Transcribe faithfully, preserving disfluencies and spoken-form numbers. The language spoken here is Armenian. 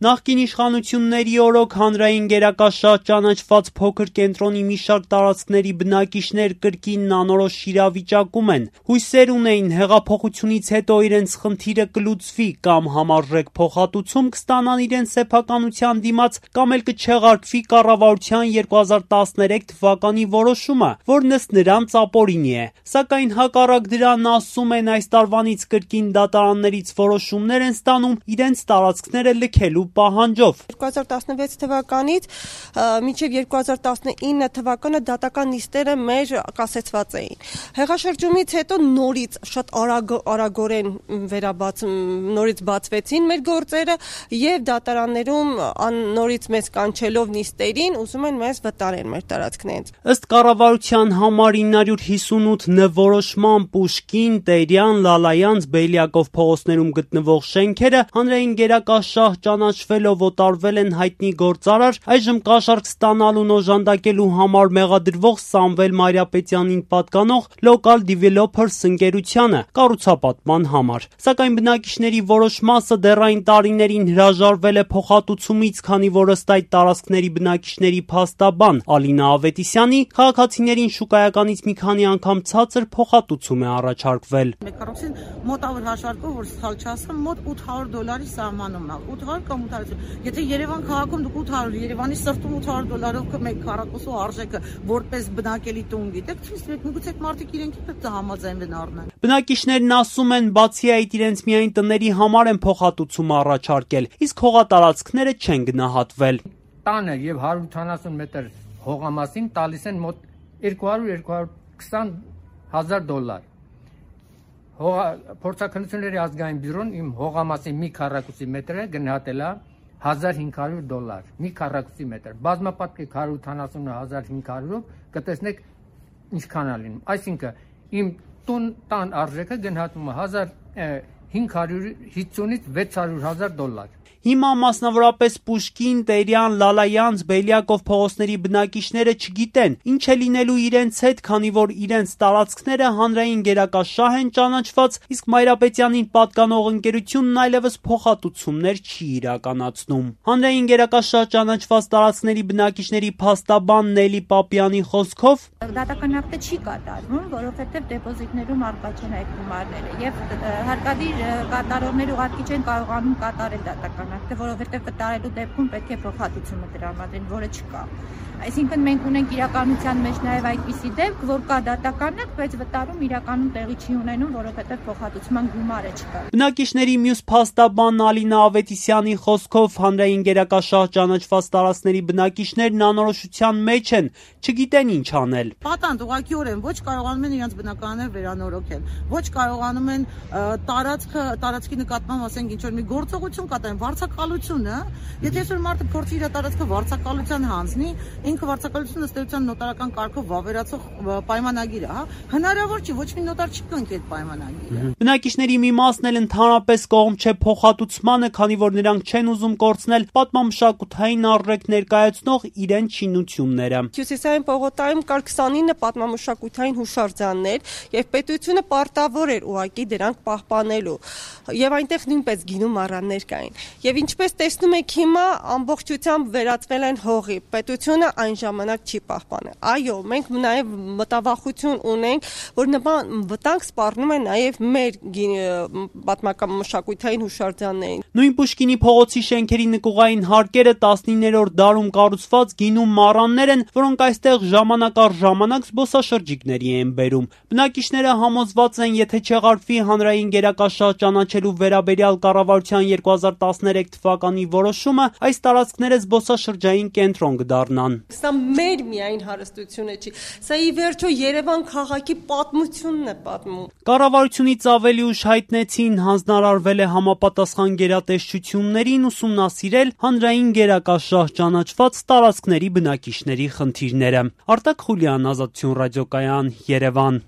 Նախկին իշխանությունների օրոք հանրային գերակաշահ ճանաչված փոքր կենտրոնի մի շարք տարածքների բնակիչներ կրկին անորոշ իրավիճակում են։ Հույսեր ունեին հեղափոխությունից հետո իրենց խնդիրը կլուծվի կամ համարժեք փոխհատուցում կստանան իրենց սեփականության դիմաց, կամ էլ կչեղարկվի կառավարության երկու հազար տասներեք թվականի որոշումը, որն ըստ նրանց ապօրինի է։ Սակայն հակառակ դրան, ասում են, այս տարվանից կրկին դատարաններից որոշումներ են ստանում իրենց տարածքները լքելու պահանջով։ երկու հազար տասնվեց թվականից մինչև երկու հազար տասնինը թվականը դատական նիստերը մեր կասեցված էին։ Հեղաշրջումից հետո նորից շատ արագ արագորեն վերաբաց նորից բացվեցին մեր գործերը եւ դատարաններում նորից մեզ կանչելով նիստերին ուզում են մեզ վտարեն մեր տարածքներից։ Ըստ կառավարության համար ինը հարյուր հիսունութ ն որոշման Պուշկին, Տերյան, Լալայանց, Բելյակով փողոցներում գտնվող շենքերը հանրային գերակաշահ ճանաչվելով օտարվել են հայտնի գործարար, այժմ կաշառք ստանալուն օժանդակելու համար մեղադրվող Սամվել Մարիապետյանին պատկանող Local Developers ընկերությանը կառուցապատման համար։ Սակայն բնակիչների որոշ մասը դեռ այն տարիներին հրաժարվել է փոխհատուցումից, քանի որ ըստ այդ տարածքների բնակիչների փաստաբան Ալինա Ավետիսյանի քաղաքացիներին շուկայականից մի քանի անգամ ցածր փոխհատուցում է առաջարկվել։ Մեկ առողջին մոտավոր հաշվարկով, որ սխալ չասեմ, մոտ ութ հարյուր դոլարի սահմանում է։ ութ հարյուր կամ ութ հարյուր։ Եթե Երևան քաղաքում դուք ութ հարյուր, Երևանի սրտում ութ հարյուր դոլարով մեկ քառակուսու արժեքը որպես բնակելի տուն գիտեք, ցույց միգուցե մարդիկ իրենք պետք է համաձայնվեն առնեն։ Բնակիչներն ասում են, բացի այդ իրենց միայն տների համար են փոխհատուցում առաջարկել, իսկ հողատարածքները չեն գնահատվել։ Տանը եւ հարյուր ութանասուն մետր հողամասին տալիս են մոտ երկու հարյուր երկու հարյուր քսան հազար դոլար։ Փորձաքննությունների ազգային բյուրոն իմ հողամասի մի քառակուսի մետրը գնահատել է հազար հինգ հարյուր դոլար, մի քառակուսի մետր։ Բազմապատկեք հարյուր ութանասուն հազար հինգ հարյուրով կտեսնեք ինչքան է լինում։ Այսինքն իմ տուն տան արժեքը գնահատվում է հազար հինգ հարյուր հիսունից վեց հարյուր հազար դոլար։ Հիմա մասնավորապես Պուշկին, Տերյան, Լալայանց, Բելյակով փողոցների բնակիչները չգիտեն ինչ է լինելու իրենց հետ, քանի որ իրենց տարածքները հանրային գերակաշահ են ճանաչված, իսկ Մայրապետյանին պատկանող ընկերությունն այլևս փոխհատուցումներ չի իրականացնում։ Հանրային գերակաշահ ճանաչված տարածքների բնակիչների փաստաբան Նելի Պապյանի խոսքով դատական ակտը չի կատարվում, որովհետև դեպոզիտներում առկա չեն այդ գումարները եւ հարկադիր կատարողները ուղղակի չեն կարողանում կատարել դատական ակտը, որովհետև կատարելու դեպքում պետք է փոխհատուցումը տրամադրեն, որը չկա։ Այսինքն մենք ունենք իրականության մեջ նաև այդպիսի դեպք, որ կա դատական ակտ, բայց վտարում իրականում տեղի չի ունենում, որովհետև փոխհատուցման գումարը չկա։ Բնակիչների մյուս փաստաբան Ալինա Ավետիսյանի խոսքով հանրային գերակաշահ ճանաչված տարածքների բնակիչներն անորոշության մեջ են, չգիտեն ինչ անել։ Պատանդ ուղղակիորեն ոչ կարողանում են իրենց բնակարանները վերանորոգել, ոչ կարողանում են տարածքը տարածքի նկատմամբ ասենք ինչ որ մի գործողություն կատարեն, վարձակալությունը, եթե այսօր մարդը փորձի իր տարածքը վարձակալության հանձնի, ինքը վարձակալությունը ըստ էության նոտարական կարգով վավերացող պայմանագիր է, հա, հնարավոր չի, ոչ մի նոտար չի կնքի այդ պայմանագիրը։ Բնակիչների մի մասն էլ ընդհանրապես կողմ չէ փոխհատուցմանը, քանի որ նրանք չեն ուզում կորցնել պատմամշակութային առրեք ներկայացնող իրենց շինությունները։ Հյուսիսային պողոտայում կար քսանինը պատմամշակութային հուշարձաններ եւ պետությունը պարտավոր էր ուղղակի դրանք պահպանելու եւ այնտեղ նույնպես գինու մառաններ կային։ Եվ ինչպես տեսնում եք հիմա ամբողջությամբ վերածվել են հողի։ Պետությունը այն ժամանակ չի պահպանել։ Այո, մենք նաեւ մտավախություն ունենք, որ նման վտանգ սպառնում է նաեւ մեր պատմական մշակութային հուշարձաններին։ Նույն Պուշկինի փողոցի շենքերի նկուղային հարկերը տասնիններորդ դարում կառուցված գինու մառաններ են, որոնք այստեղ ժամանակ առ ժամանակ զբոսաշրջիկների են բերում։ Բնակիչները համոզված են, եթե չեղարկվի հանրային գերակաշահ ճանաչելու վերաբերյալ կառավարության երկու հազար տասներեք թվականի որոշումը, այս տարածքները զբոսաշրջային կենտրոն կդառնան։ Սա մեր միայն հարստությունը չի, սա ի վերջո Երևան քաղաքի պատմությունն է պատմում։ Կառավարությունից ավելի ուշ հայտնեցին հանձնարարվել է համապատասխան գերատեսչություններին ուսումնասիրել հանրային գերակաշահ ճանաչված տարածքների բնակիչների խնդիրները։ Արտակ Խուլյան, Ազատություն ռադիոկայան, Երևան։